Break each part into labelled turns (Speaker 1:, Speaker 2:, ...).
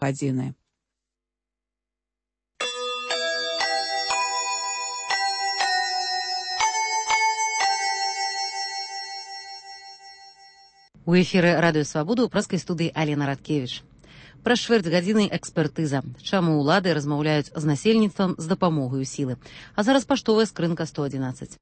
Speaker 1: гадзіны.
Speaker 2: У эфіры радыё Свабода ў праскай студыі Алена Радкевіч. Праз чвэрць гадзіны экспертыза. Чаму ўлады размаўляюць з насельніцтвам з дапамогаю сілы. А зараз паштовая скрынка 111.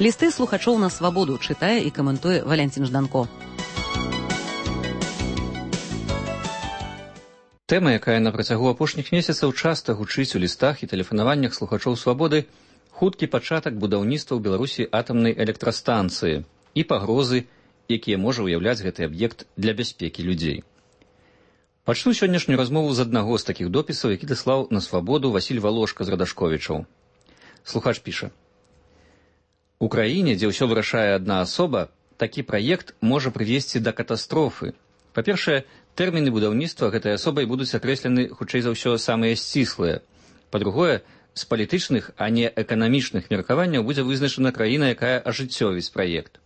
Speaker 2: Лісты слухачоў на Свабоду чытае і каментуе Валянцін Жданко.
Speaker 3: Тэма, якая на працягу апошніх месяцаў часта гучыць у лістах і тэлефанаваннях слухачоў Свабоды, хуткі пачатак будаўніцтва ў Беларусі атамнай электрастанцыі і пагрозы, якія можа ўяўляць гэты аб'ект для бяспекі людзей. Пачну сённяшнюю размову з аднаго з такіх допісаў, які даслаў на Свабоду Васіль Валошка з Радашковічаў. Слухач піша: «У краіне, дзе ўсё вырашае адна асоба, такі праект можа прывесці да катастрофы. Па-першае, тэрміны будаўніцтва гэтай асобай будуць акрэслены, хутчэй за ўсё, самыя сціслыя. Па-другое, з палітычных, а не эканамічных меркаванняў будзе вызначана краіна, якая ажыццёвіць праект.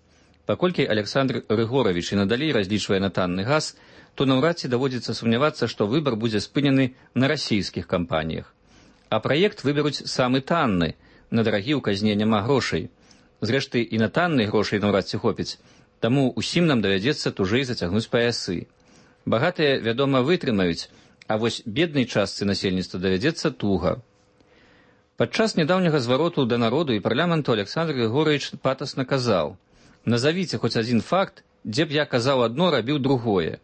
Speaker 3: Паколькі Александр Рыгоравіч і надалей разлічвае на танны газ, то наўрад ці даводзіцца сумнявацца, што выбар будзе спынены на расійскіх кампаніях. А праект выберуць самы танны, на дарагі ў казне няма грошай. Зрэшты, і на танны грошай наўрад ці хопіць, таму ўсім нам давядзецца тужэй зацягнуць паясы. Багатыя, вядома, вытрымаюць, а вось беднай частцы насельніцтва давядзецца туга. Падчас нядаўняга звароту да народу і парламенту Александр Григорович патасна казаў: «Назавіце хоць адзін факт, дзе б я казаў адно, рабіў другое».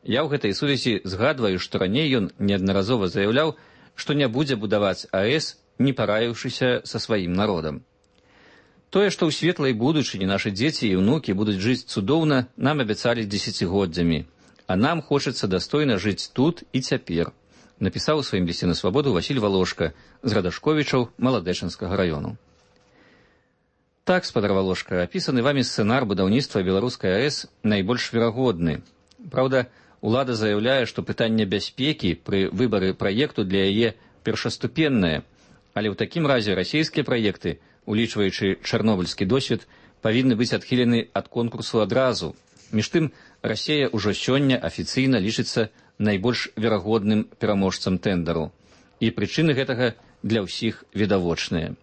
Speaker 3: Я ў гэтай сувязі згадваю, што раней ён неаднаразова заяўляў, што не будзе будаваць АЭС, не параіўшыся са сваім народам. Тое, што ў светлай будучыні нашы дзеці і ўнукі будуць жыць цудоўна, нам абяцалі дзесяцігоддзямі, а нам хочацца дастойна жыць тут і цяпер, напісаў у сваім лісце на Свабоду Васіль Валошка з Радашковічаў Маладэчынскага раёну. Так, спадар Валошка, апісаны вамі сцэнар будаўніцтва беларускай АЭС найбольш верагодны. Праўда, улада заяўляе, што пытанне бяспекі пры выбары праекту для яе першаступеннае, але ў такім разе расійскія праекты, улічваючы чарнобыльскі досвед, павінны быць адхілены ад конкурсу адразу. Між тым, Расія ўжо сёння афіцыйна лічыцца найбольш верагодным пераможцам тэндару. І прычыны гэтага для ўсіх відавочныя.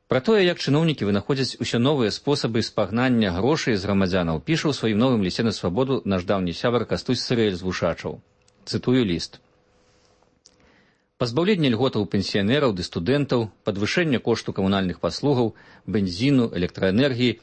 Speaker 3: Пра тое, як чыноўнікі вынаходзяць усё новыя спосабы спагнання грошай з грамадзянаў, піша ў сваім новым лісце на Свабоду наш даўні сябар Кастусь Сырэль з Вушачаў. Цытую ліст. Пазбаўленне льготаў пенсіянераў ды студэнтаў, падвышэнне кошту камунальных паслугаў, бензіну, электраэнергіі,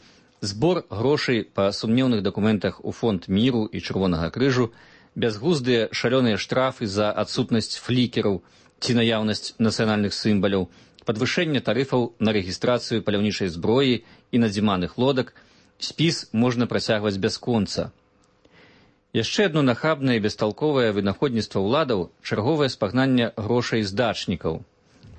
Speaker 3: збор грошай па сумнеўных дакументах у фонд міру і Чырвонага крыжу, бязглуздыя шалёныя штрафы за адсутнасць флікераў ці наяўнасць нацыянальных сімваляў, падвышэнне тарыфаў на рэгістрацыю паляўнічай зброі і надзіманых лодак, спіс можна працягваць бясконца. Яшчэ адно нахабнае і бесталковае вынаходніцтва ўладаў – чарговае спагнанне грошай з дачнікаў.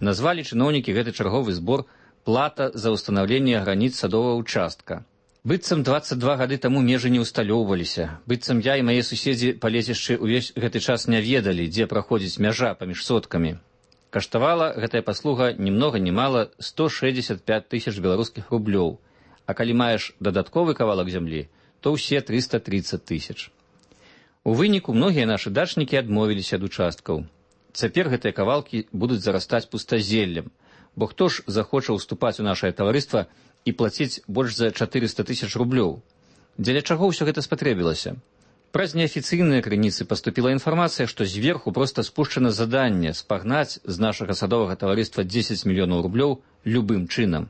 Speaker 3: Назвалі чыноўнікі гэты чарговы збор «плата за ўстанаўленне граніц садовага ўчастка». Быццам 22 гады таму межы не ўсталёўваліся, быццам я і мае суседзі па лецішчы ўвесь гэты час не ведалі, дзе праходзіць мяжа паміж соткамі. Каштавала гэтая паслуга ні многа ні мала 165 тысяч беларускіх рублёў, а калі маеш дадатковы кавалак зямлі, то ўсе 330 тысяч. У выніку многія нашы дачнікі адмовіліся ад участкаў. Цяпер гэтыя кавалкі будуць зарастаць пустазеллем, бо хто ж захоча ўступаць у нашае таварыства і плаціць больш за 400 тысяч рублёў? Дзеля чаго ўсё гэта спатрэбілася? Праз неафіцыйныя крыніцы паступіла інфармацыя, што зверху проста спушчана заданне спагнаць з нашага садовага таварыства 10 мільёнаў рублёў любым чынам.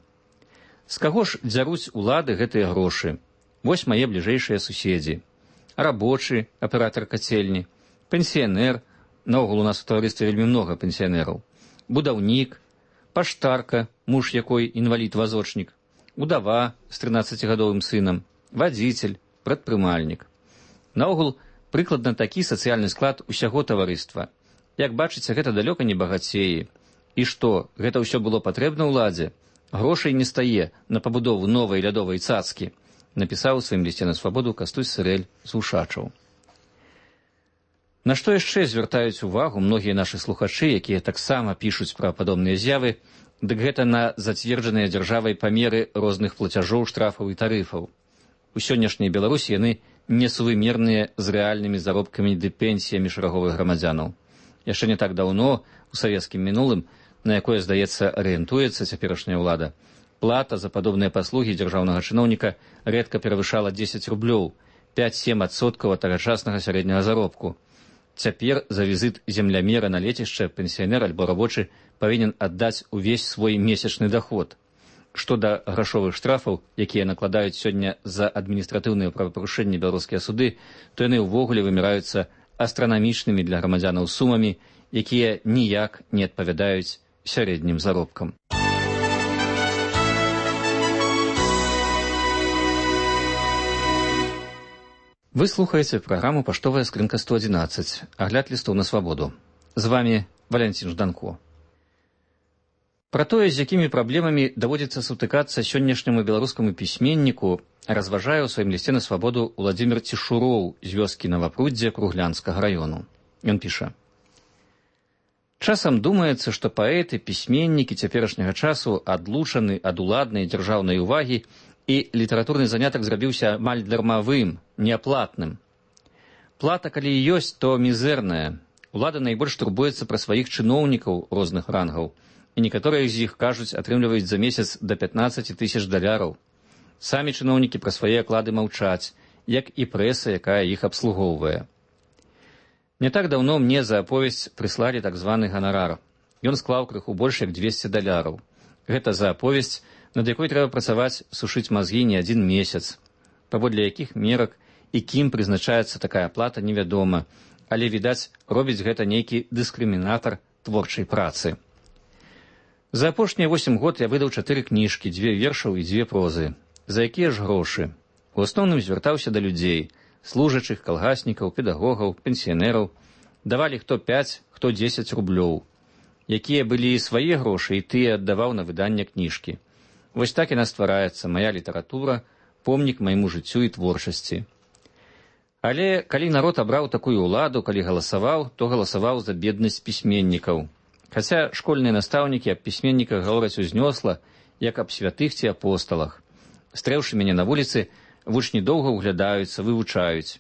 Speaker 3: З каго ж дзяруць улады гэтыя грошы? Вось мае бліжэйшыя суседзі. Рабочы, аператар кацельні, пенсіянер, наогул у нас у таварыстве вельмі многа пенсіянераў, будаўнік, паштарка, муж якой інвалід-вазочнік, удава з 13-гадовым сынам, вадзіцель, прадпрымальнік. Наогул, прыкладна такі сацыяльны склад усяго таварыства. Як бачыце, гэта далёка не багацеі. І што, гэта ўсё было патрэбна ўладзе? Грошай не стае на пабудову новай лядовай цацкі, напісаў у сваім лісце на Свабоду Кастусь Сырэль з Вушачаў. На што яшчэ звяртаюць увагу многія нашы слухачы, якія таксама пішуць пра падобныя з'явы, дык гэта на зацверджаныя дзяржавай памеры розных плацяжоў, штрафаў і тарыфаў. У сённяшняй Беларусі яны несувымерныя з рэальнымі заробкамі ды пенсіямі шараговых грамадзянаў. Яшчэ не так даўно, у савецкім мінулым, на якое, здаецца, арыентуецца цяперашняя ўлада, плата за падобныя паслугі дзяржаўнага чыноўніка рэдка перавышала 10 рублёў, 5-7% ад тагачаснага сярэдняга заробку. Цяпер за візіт землямера на лецішча пенсіянер альбо рабочы павінен аддаць увесь свой месячны даход. Што да грашовых штрафаў, якія накладаюць сёння за адміністратыўныя правапарушэнні беларускія суды, то яны ўвогуле выміраюцца астранамічнымі для грамадзянаў сумамі, якія ніяк не адпавядаюць сярэднім заробкам. Вы слухаеце праграму «Паштовая скрынка 111», агляд лістоў на свабоду. З вами Валянцін Жданко. Пра тое, з якімі праблемамі даводзіцца сутыкацца сённяшняму беларускаму пісьменніку, разважае ў сваім лісце на свабоду Уладзімір Цішуроў з вёскі Навапруддзе Круглянскага раёну. Ён піша: «Часам думаецца, што паэты, пісьменнікі цяперашняга часу адлучаны ад уладнай дзяржаўнай увагі і літаратурны занятак зрабіўся амаль дармавым, неаплатным. Плата, калі і ёсць, то мізэрная. Улада найбольш турбуецца пра сваіх чыноўнікаў розных рангаў, і некаторыя з іх, кажуць, атрымліваюць за месяц да 15 000 даляраў. Самі чыноўнікі пра свае аклады маўчаць, як і прэса, якая іх абслугоўвае. Не так даўно мне за аповесць прыслалі так званы ганарар. Ён склаў крыху больш як 200 даляраў. Гэта за аповесць, над якой трэба працаваць, сушыць мазгі не адзін месяц. Паводле якіх мерак і кім прызначаецца такая плата, невядома, але, відаць, робіць гэта нейкі дыскрымінатар творчай працы. За апошнія 8 год я выдаў 4 кніжкі, 2 вершаў і 2 прозы. За якія ж грошы? У асноўным звяртаўся да людзей, служачых, калгаснікаў, педагогаў, пенсіянераў. Давалі хто 5, хто 10 рублёў. Якія былі і свае грошы, і тыя аддаваў на выданне кніжкі. Вось так яна ствараецца, мая літаратура, помнік майму жыццю і творчасці. Але калі народ абраў такую ўладу, калі галасаваў, то галасаваў за беднасць пісьменнікаў. Хаця школьныя настаўнікі аб пісьменніках гавораць узнёсла, як аб святых ці апосталах. Стрэўшы мяне на вуліцы, вучні доўга ўглядаюцца, вывучаюць.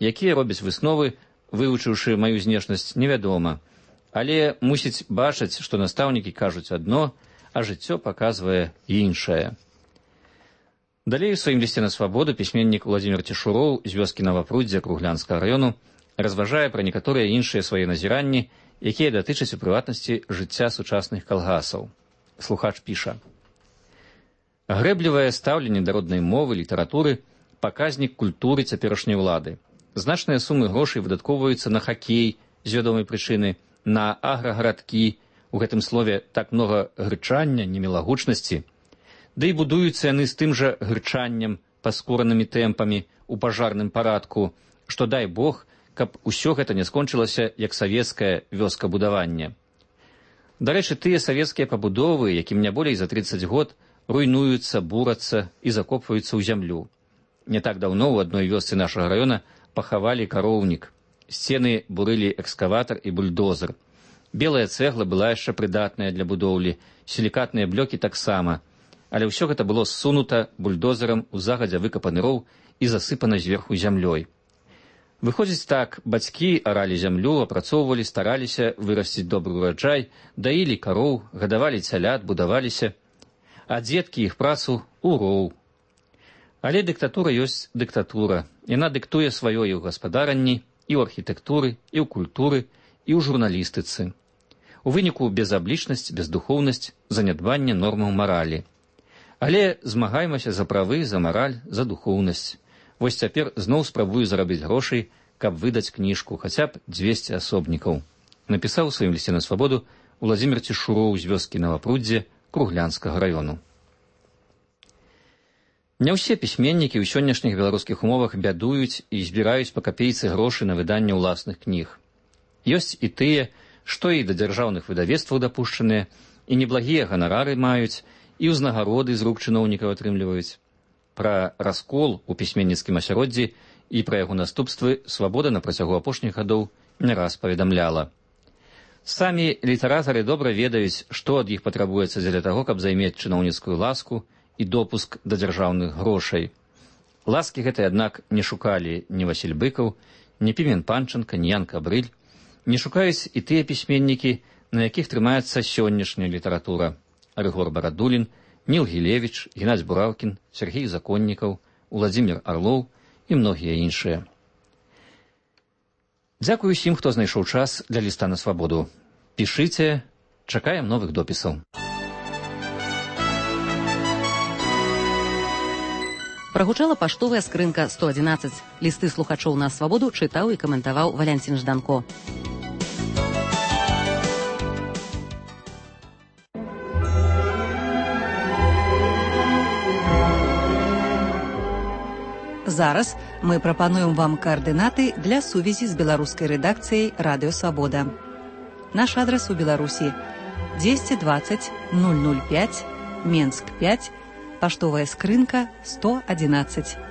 Speaker 3: Якія робяць высновы, вывучыўшы маю знешнасць, невядома. Але мусіць бачыць, што настаўнікі кажуць адно, а жыццё паказвае іншае. Далей у сваім лісце на свабоду пісьменнік Уладзімір Цішуроў з вёскі Навапруддзя Круглянскага раёну разважае пра некаторыя іншыя свае назіранні, якія датычаць у прыватнасці жыцця сучасных калгасаў. Слухач піша: «Грэблівае стаўленне да роднай мовы, літаратуры – паказнік культуры цяперашняй улады. Значныя сумы грошай выдаткоўваюцца на хакей з вядомай прычыны, на аграгарадкі, у гэтым слове так многа грычання, немілагучнасці. Да і будуюцца яны з тым жа грычаннем, паскоранымі тэмпамі, у пажарным парадку, што, дай Бог, каб усё гэта не скончылася, як савецкае вёскабудаванне. Дарэчы, тыя савецкія пабудовы, якім не болей за 30 год, руйнуюцца, бурацца і закопваюцца ў зямлю. Не так даўно ў адной вёсцы нашага раёна пахавалі кароўнік. Сцены бурылі экскаватар і бульдозер. Белая цэгла была яшчэ прыдатная для будоўлі, сілікатныя блёкі таксама, але ўсё гэта было ссунута бульдозерам у загадзя выкапаны роў і засыпана зверху зямлёй. Выходзіць так, бацькі аралі зямлю, апрацоўвалі, стараліся вырасціць добры ураджай, даілі кароў, гадавалі цялят, будаваліся, а дзеткі іх працу ў роў. Але дыктатура ёсць дыктатура. Яна дыктуе сваё і ў гаспадаранні, і ў архітэктуры, і ў культуры, і ў журналістыцы. У выніку безаблічнасць, бездухоўнасць, занядбанне нормаў маралі. Але змагаймася за правы, за мараль, за духоўнасць. Вось цяпер зноў спрабую зарабіць грошай, каб выдаць кніжку, хаця б 200 асобнікаў. Напісаў у сваім лісце на свабоду Уладзімір Цішуроў з вёскі Навапруддзе Круглянскага раёну. Не ўсе пісьменнікі ў сённяшніх беларускіх умовах бядуюць і збіраюць па капейцы грошы на выданне ўласных кніг. Ёсць і тыя, што і да дзяржаўных выдавецтваў дапушчаныя, і неблагія ганарары маюць, і ўзнагароды з рук чыноўнікаў атрымліваюць. Пра раскол у пісьменніцкім асяроддзі і пра яго наступствы свабода на працягу апошніх гадоў не раз паведамляла. Самі літаратары добра ведаюць, што ад іх патрабуецца дзеля таго, каб займець чыноўніцкую ласку і допуск да дзяржаўных грошай. Ласкі гэтай, аднак, не шукалі ні Васіль Быкаў, ні Пімен Панченка, ні Ян Кабрыль, не шукаюць і тыя пісьменнікі, на якіх трымаецца сённяшняя літаратура: Рыгор Барадулін, Ніл Гілевіч, Геннадзь Бураўкін, Сергей Законнікаў, Уладзімір Арлоў і многія іншыя. Дзякую усім, хто знайшоў час для ліста на свабоду. Пішыце, чакаем новых допісаў.
Speaker 2: Прагучала паштовая скрынка 111. Лісты слухачоў на свабоду чытаў і каментаваў Валянцін Жданко. Зараз мы прапануем вам каардынаты для сувязі з беларускай рэдакцыяй Радыё Свабода. Наш адрас у Беларусі: 220 005, Менск 5, паштовая скрынка 111.